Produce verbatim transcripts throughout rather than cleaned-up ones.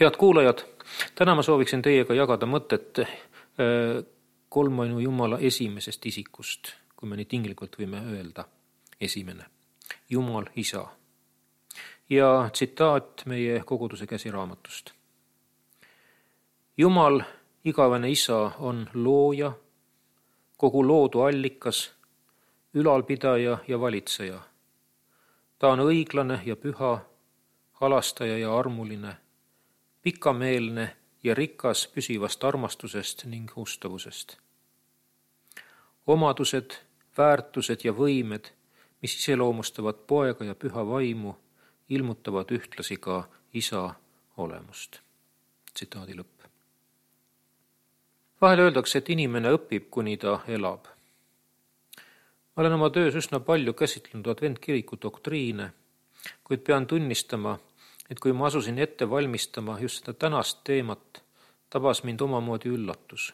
Head kuulajad, täna ma sooviksin teiega jagada mõtet kolmainu Jumala esimesest isikust, kui me nii tinglikult võime öelda, esimene, Jumal Isa. Ja tsitaat meie koguduse käsiraamatust. Jumal, igavene Isa, on looja, kogu loodu allikas, ülalpidaja ja valitseja. Ta on õiglane ja püha, halastaja ja armuline, pikameelne ja rikas püsivast armastusest ning ustavusest. Omadused, väärtused ja võimed, mis iseloomustavad poega ja püha vaimu, ilmutavad ühtlasi ka Isa olemust. Tsitaadi lõpp. Vahel öeldakse, et inimene õpib, kuni ta elab. Ma olen oma töös üsna palju käsitlenud adventkiriku doktriine, kuid pean tunnistama, et kui ma asusin ette valmistama just seda tänast teemat, tabas mind omamoodi üllatus.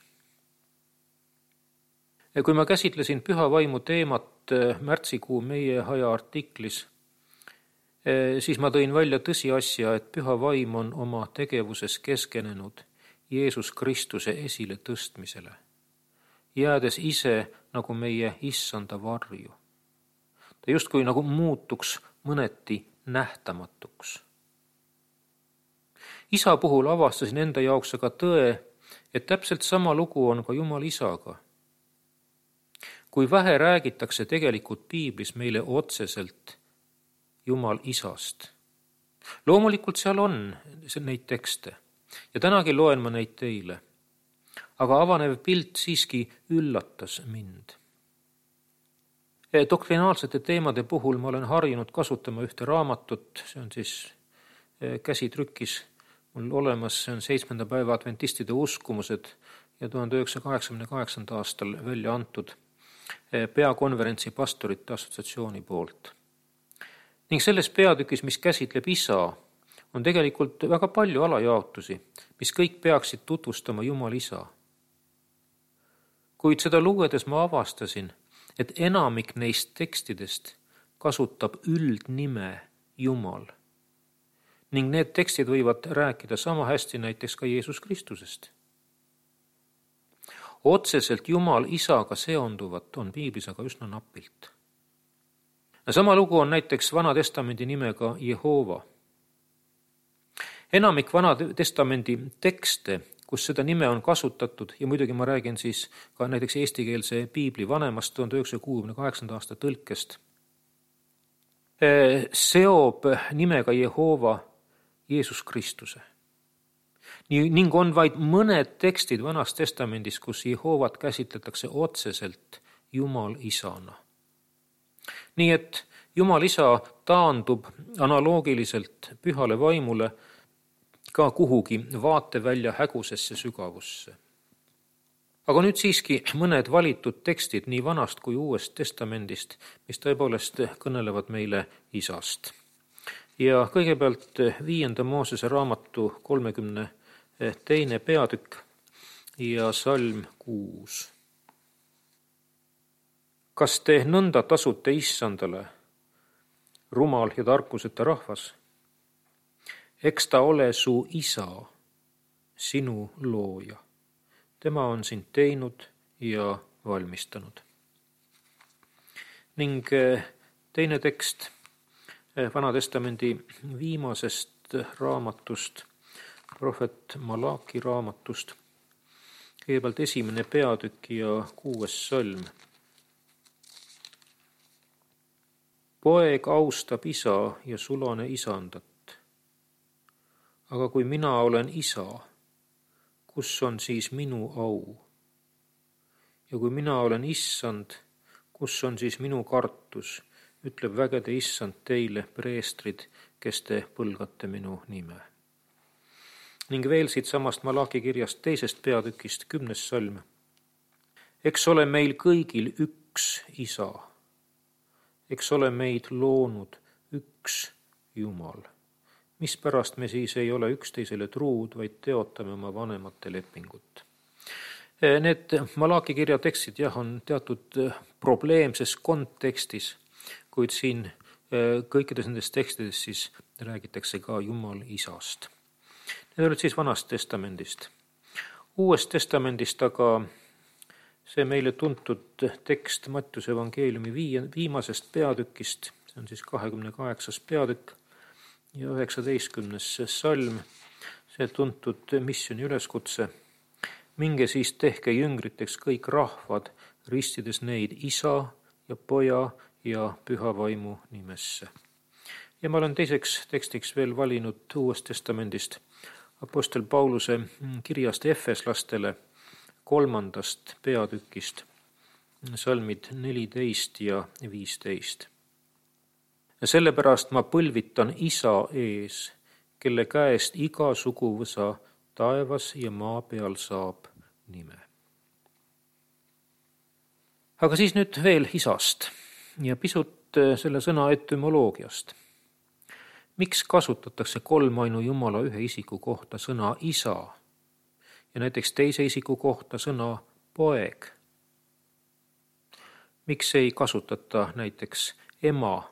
Ja kui ma käsitlesin püha vaimu teemat märtsikuu meie aja artiklis, siis ma tõin välja tõsiasja, et püha vaim on oma tegevuses keskenenud Jeesus Kristuse esile tõstmisele, jäädes ise nagu meie issanda varju. Ta justkui nagu muutuks mõneti nähtamatuks. Isa puhul avastasin enda jaoks aga tõe, et täpselt sama lugu on ka Jumal Isaga. Kui vähe räägitakse tegelikult piiblis meile otseselt Jumal Isast. Loomulikult seal on neid tekste ja tänagi loen ma neid teile, aga avanev pilt siiski üllatas mind. Doktrinaalsete teemade puhul ma olen harjunud kasutama ühte raamatut, see on siis käsitrükis mul olemas, see on seitsmenda päeva adventistide uskumused ja tuhande üheksasaja kaheksakümne kaheksandal aastal välja antud peakonverentsi pastorite assotsiatsiooni poolt. Ning selles peatükis, mis käsitleb Isa, on tegelikult väga palju alajaotusi, mis kõik peaksid tutvustama Jumal Isa. Kuid seda lugedes ma avastasin, et enamik neist tekstidest kasutab üldnime Jumal. Ning need tekstid võivad rääkida sama hästi näiteks ka Jeesus Kristusest. Otseselt Jumal Isaga seonduvat on piiblis aga üsna napilt. Sama lugu on näiteks Vana Testamendi nimega Jehova. Enamik Vana Testamendi tekste, kus seda nime on kasutatud, ja muidugi ma räägin siis ka näiteks eestikeelse piibli vanemast tuhande üheksasaja kuuekümne kaheksanda aasta tõlkest, seob nimega Jehova Jeesus Kristuse. Ning on vaid mõned tekstid Vanas Testamendis, kus Jehovat käsitletakse otseselt Jumal Isana. Nii et Jumal Isa taandub analoogiliselt pühale vaimule ka kuhugi vaatevälja hägusesse sügavusse. Aga nüüd siiski mõned valitud tekstid nii Vanast kui Uuest Testamendist, mis tõepoolest kõnelevad meile Isast. Ja kõigepealt viienda Moosese raamatu kolmekümne teine peatükk ja salm kuus. Kas te nõnda tasute issandale, rumal ja tarkuseta rahvas? Eks ta ole su Isa, sinu looja. Tema on sind teinud ja valmistanud. Ning teine tekst Vana Testamendi viimasest raamatust, prohvet Malaki raamatust, kõigepealt esimene peatükk ja kuues salm. Poeg austab isa ja sulane isandat. Aga kui mina olen isa, kus on siis minu au? Ja kui mina olen issand, kus on siis minu kartus, ütleb vägede issand teile, preestrid, kes te põlgate minu nime. Ning veel siit samast Malaki kirjast teisest peatükist, kümnes salm. Eks ole meil kõigil üks isa. Eks ole meid loonud üks Jumal. Mispärast me siis ei ole üksteisele truud, vaid teotame oma vanemate lepingut. Need Malaki kirja tekstid jah, on teatud probleemses kontekstis, kuid siin kõikides nendes tekstides siis räägitakse ka Jumal Isast. Need olid siis Vanast testamendist. Uuest testamendist aga see meile tuntud tekst Mattiuse evangeeliumi viimasest peatükist, see on siis kahekümne kaheksas peatükk ja üheksateistkümnes salm, see tuntud missiooni üleskutse. Minge siis tehke jüngriteks kõik rahvad, ristides neid Isa ja Poja ja Püha Vaimu nimesse. Ja ma olen teiseks tekstiks veel valinud Uuest testamendist apostel Pauluse kirjast Efeslastele kolmandast peatükist, salmid neliteist ja viisteist. Ja sellepärast ma põlvitan Isa ees, kelle käest iga suguvõsa taevas ja maa peal saab nime. Aga siis nüüd veel Isast ja pisut selle sõna etümoloogiast. Miks kasutatakse kolmainu Jumala ühe isiku kohta sõna Isa ja näiteks teise isiku kohta sõna Poeg? Miks ei kasutata näiteks ema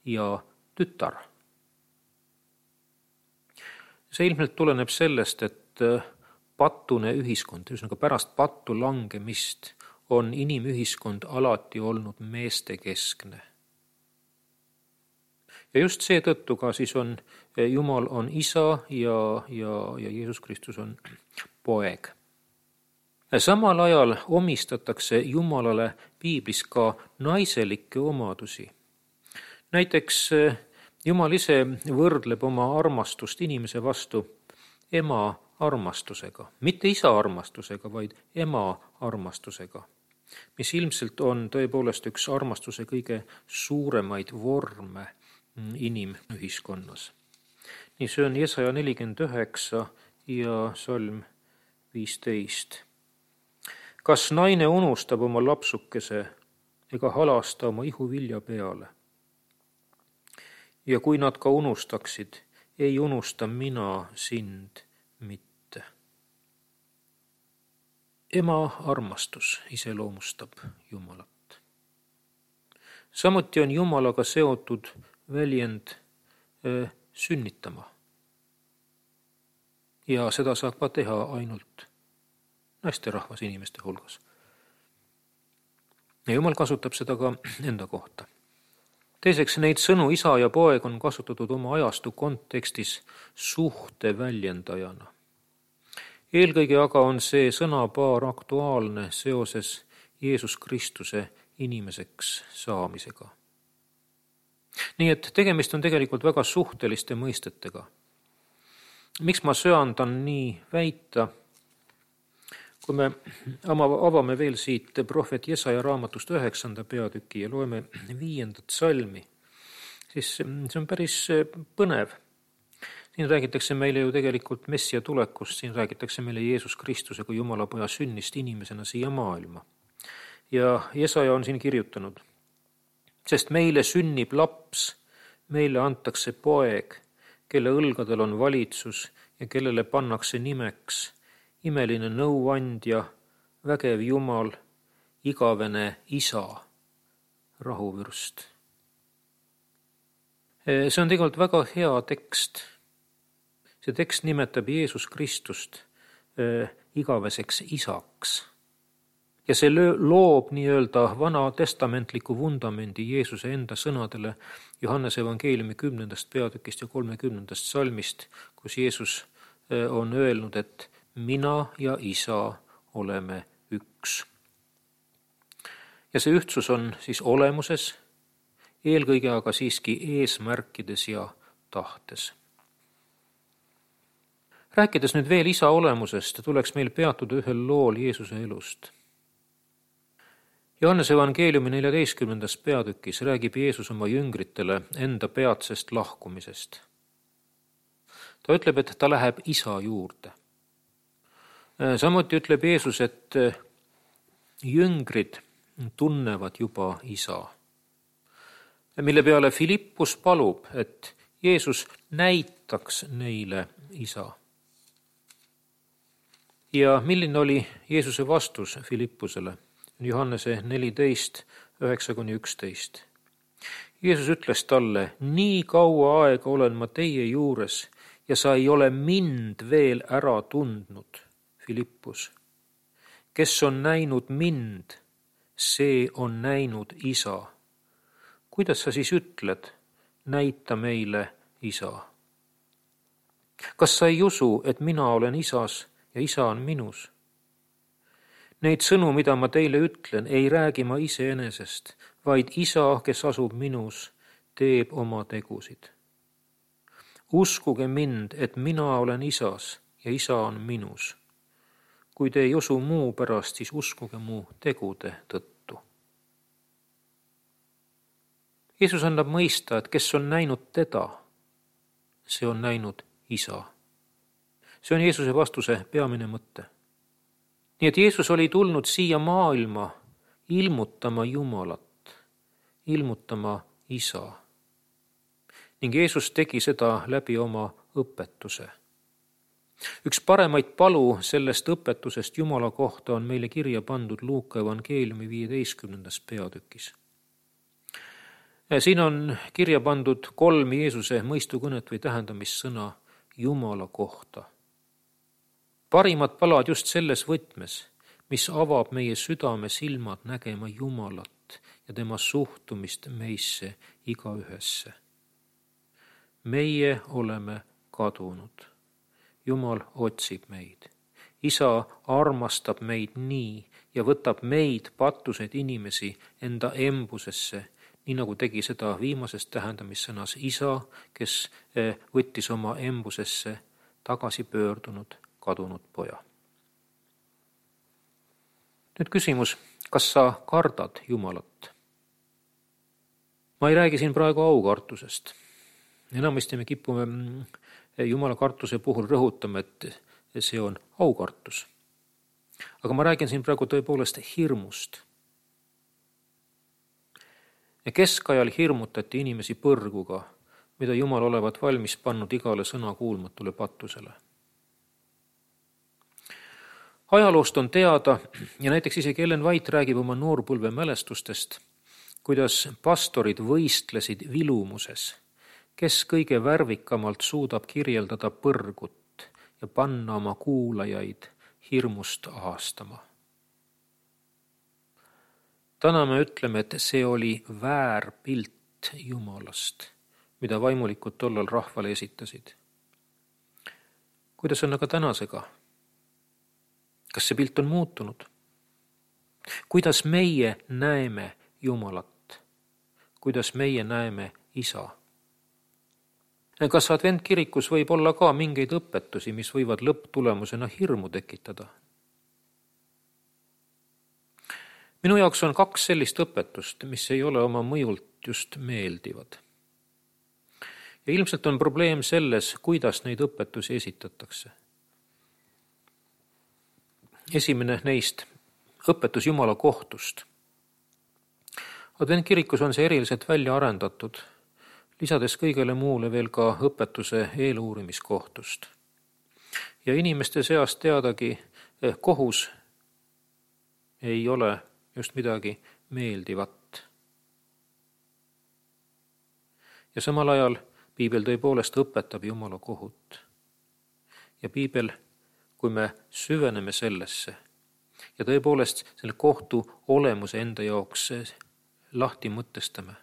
ja tütar? See ilmselt tuleneb sellest, et patune ühiskond, ühesõnaga pärast pattu langemist on inimühiskond alati olnud meestekeskne. Ja just seetõttu ka siis on Jumal on Isa ja, ja, ja Jeesus Kristus on Poeg. Samal ajal omistatakse Jumalale piiblis ka naiselikke omadusi. Näiteks Jumal ise võrdleb oma armastust inimese vastu ema armastusega, mitte isa armastusega, vaid ema armastusega, mis ilmselt on tõepoolest üks armastuse kõige suuremaid vorme inimühiskonnas. Nii see on Jesaja nelikümmend üheksa ja salm viisteist. Kas naine unustab oma lapsukese ega halasta oma ihuvilja peale? Ja kui nad ka unustaksid, ei unusta mina sind mitte. Ema armastus iseloomustab Jumalat. Samuti on Jumalaga seotud väljend äh, sünnitama. Ja seda saab ka teha ainult naisterahvas inimeste hulgas. Ja Jumal kasutab seda ka enda kohta. Teiseks, neid sõnu Isa ja Poeg on kasutatud oma ajastu kontekstis suhte väljendajana. Eelkõige aga on see sõnapaar aktuaalne seoses Jeesus Kristuse inimeseks saamisega. Nii et tegemist on tegelikult väga suhteliste mõistetega. Miks ma söandan nii väita? Kui me avame veel siit prohvet Jesaja raamatust üheksanda peatüki ja loeme viiendat salmi, siis see on päris põnev. Siin räägitakse meile ju tegelikult Messia tulekust, siin räägitakse meile Jeesus Kristuse kui Jumala Poja sünnist inimesena siia maailma. Ja Jesaja on siin kirjutanud, sest meile sünnib laps, meile antakse poeg, kelle õlgadel on valitsus ja kellele pannakse nimeks imeline nõuandja, vägev Jumal, igavene Isa, rahuvürst. See on tegelikult väga hea tekst. See tekst nimetab Jeesus Kristust igaveseks isaks. Ja see loob nii-öelda vana testamentliku vundamendi Jeesuse enda sõnadele Johannese evangeeliumi kümnendast peatükist ja kolmekümnendast salmist, kus Jeesus on öelnud, et mina ja Isa oleme üks. Ja see ühtsus on siis olemuses, eelkõige aga siiski eesmärkides ja tahtes. Rääkides nüüd veel Isa olemusest, tuleks meil peatuda ühel lool Jeesuse elust. Johannese evangeeliumi neljateistkümnendas peatükis räägib Jeesus oma jüngritele enda peatsest lahkumisest. Ta ütleb, et ta läheb Isa juurde. Samuti ütleb Jeesus, et jüngrid tunnevad juba Isa, mille peale Filippus palub, et Jeesus näitaks neile Isa. Ja milline oli Jeesuse vastus Filippusele? Johannese neliteist, üheksa kuni üksteist. Jeesus ütles talle, nii kaua aega olen ma teie juures ja sa ei ole mind veel ära tundnud, Filippus. Kes on näinud mind, see on näinud isa. Kuidas sa siis ütled, näita meile isa? Kas sa ei usu, et mina olen isas ja isa on minus? Neid sõnu, mida ma teile ütlen, ei räägi ma iseenesest, vaid isa, kes asub minus, teeb oma tegusid. Uskuge mind, et mina olen isas ja isa on minus. Kui te ei usu muu pärast, siis uskuge mu tegude tõttu. Jeesus annab mõista, et kes on näinud teda, see on näinud isa. See on Jeesuse vastuse peamine mõte. Nii et Jeesus oli tulnud siia maailma ilmutama Jumalat, ilmutama isa. Ning Jeesus tegi seda läbi oma õpetuse. Üks paremaid palu sellest õpetusest Jumala kohta on meile kirja pandud Luuka evangeeliumi viieteistkümnendas peatükis. Siin on kirja pandud kolm Jeesuse mõistukõnet või tähendamissõna Jumala kohta. Parimad palad just selles võtmes, mis avab meie südame silmad nägema Jumalat ja tema suhtumist meisse igaühesse. Meie oleme kadunud. Jumal otsib meid. Isa armastab meid nii ja võtab meid, patused inimesi, enda embusesse, nii nagu tegi seda viimases tähendamissõnas isa, kes võttis oma embusesse tagasi pöördunud kadunud poja. Nüüd küsimus, kas sa kardad Jumalat? Ma ei räägi siin praegu aukartusest. Enamasti me kipume Jumala kartuse puhul rõhutama, et see on aukartus. Aga ma räägin siin praegu tõepoolest hirmust. Keskajal hirmutati inimesi põrguga, mida Jumal olevat valmis pannud igale sõna kuulmatule patusele. Ajaloost on teada, ja näiteks isegi Ellen White räägib oma noorpõlve mälestustest, kuidas pastorid võistlesid vilumuses, kes kõige värvikamalt suudab kirjeldada põrgut ja panna oma kuulajaid hirmust ahastama. Täna me ütleme, et see oli väärpilt Jumalast, mida vaimulikud tollal rahvale esitasid. Kuidas on aga tänasega? Kas see pilt on muutunud? Kuidas meie näeme Jumalat? Kuidas meie näeme isa? Kas adventkirikus võib olla ka mingeid õpetusi, mis võivad lõpptulemusena hirmu tekitada? Minu jaoks on kaks sellist õpetust, mis ei ole oma mõjult just meeldivad. Ja ilmselt on probleem selles, kuidas neid õpetusi esitatakse. Esimene neist, õpetus Jumala kohtust. Adventkirikus on see eriliselt välja arendatud, lisades kõigele muule veel ka õpetuse eeluurimiskohtust. Ja inimeste seast teadagi, kohus ei ole just midagi meeldivat. Ja samal ajal Piibel tõepoolest õpetab Jumala kohut. Ja Piibel, kui me süveneme sellesse ja tõepoolest selle kohtu olemuse enda jaoks lahti mõtestame,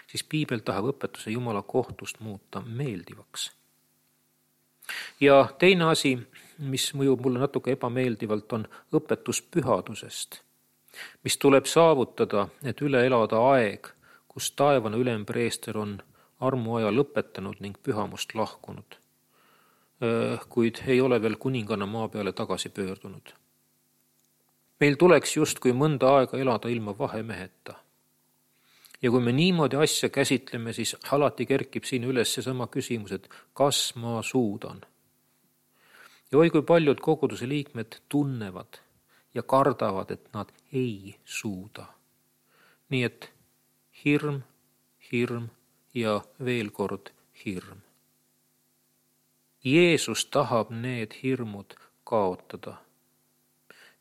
siis Piibel tahab õpetuse Jumala kohtust muuta meeldivaks. Ja teine asi, mis mõjub mulle natuke ebameeldivalt, on õpetus pühadusest, mis tuleb saavutada, et üle elada aeg, kus taevane ülempreester on armuaja lõpetanud ning pühamust lahkunud, kuid ei ole veel kuninganna maa peale tagasi pöördunud. Meil tuleks justkui mõnda aega elada ilma vahemeheta. Ja kui me niimoodi asja käsitleme, siis alati kerkib siin üles seesama küsimus, et kas ma suudan. Ja oi, kui paljud koguduse liikmed tunnevad ja kardavad, et nad ei suuda. Nii et hirm, hirm ja veel kord hirm. Jeesus tahab need hirmud kaotada.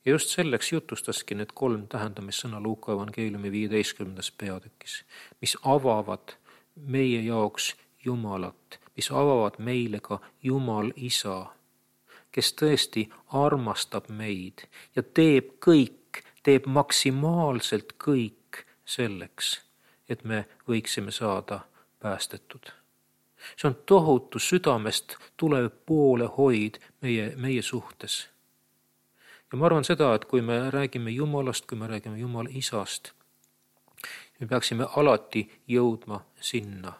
Ja just selleks jutustaski need kolm tähendamissõna Luuka evangeeliumi viieteistkümnendas peatükis, mis avavad meie jaoks Jumalat, mis avavad meile ka Jumal Isa, kes tõesti armastab meid ja teeb kõik, teeb maksimaalselt kõik selleks, et me võiksime saada päästetud. See on tohutu südamest tulev poolehoid meie, meie suhtes. Ja ma arvan seda, et kui me räägime Jumalast, kui me räägime Jumal Isast, me peaksime alati jõudma sinna,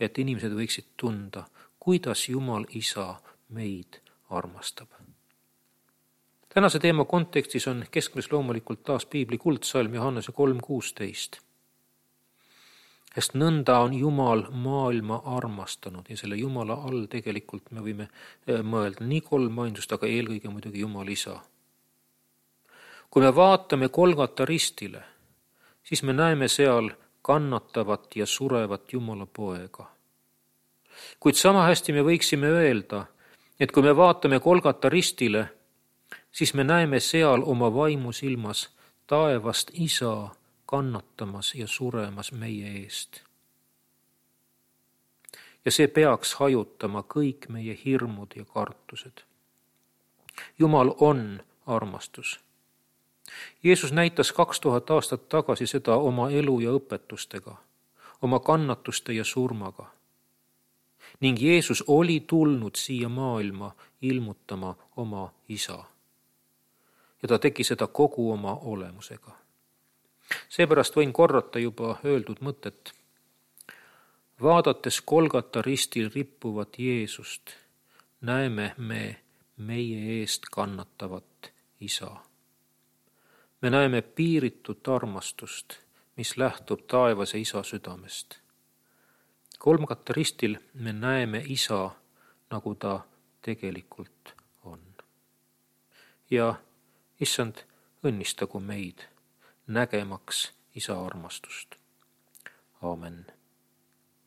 et inimesed võiksid tunda, kuidas Jumal Isa meid armastab. Tänase teema kontekstis on keskmes loomulikult taas piibli kuldsalm Johannese kolm kuusteist. Sest nõnda on Jumal maailma armastanud ja selle Jumala all tegelikult me võime mõelda nii kolm ainsust, aga eelkõige muidugi Jumal Isa. Kui me vaatame Golgata ristile, siis me näeme seal kannatavat ja surevat Jumala poega. Kuid sama hästi me võiksime öelda, et kui me vaatame Golgata ristile, siis me näeme seal oma vaimu silmas taevast Isa kannatamas ja suremas meie eest. Ja see peaks hajutama kõik meie hirmud ja kartused. Jumal on armastus. Jeesus näitas kaks tuhat aastat tagasi seda oma elu ja õpetustega, oma kannatuste ja surmaga. Ning Jeesus oli tulnud siia maailma ilmutama oma Isa. Ja ta tegi seda kogu oma olemusega. Seepärast võin korrata juba öeldud mõtet. Vaadates Golgata ristil rippuvat Jeesust, näeme me meie eest kannatavat Isa. Me näeme piiritut armastust, mis lähtub taevase Isa südamest. Golgata ristil me näeme Isa, nagu ta tegelikult on. Ja issand, õnnistagu meid nägemaks Isa armastust. Aamen.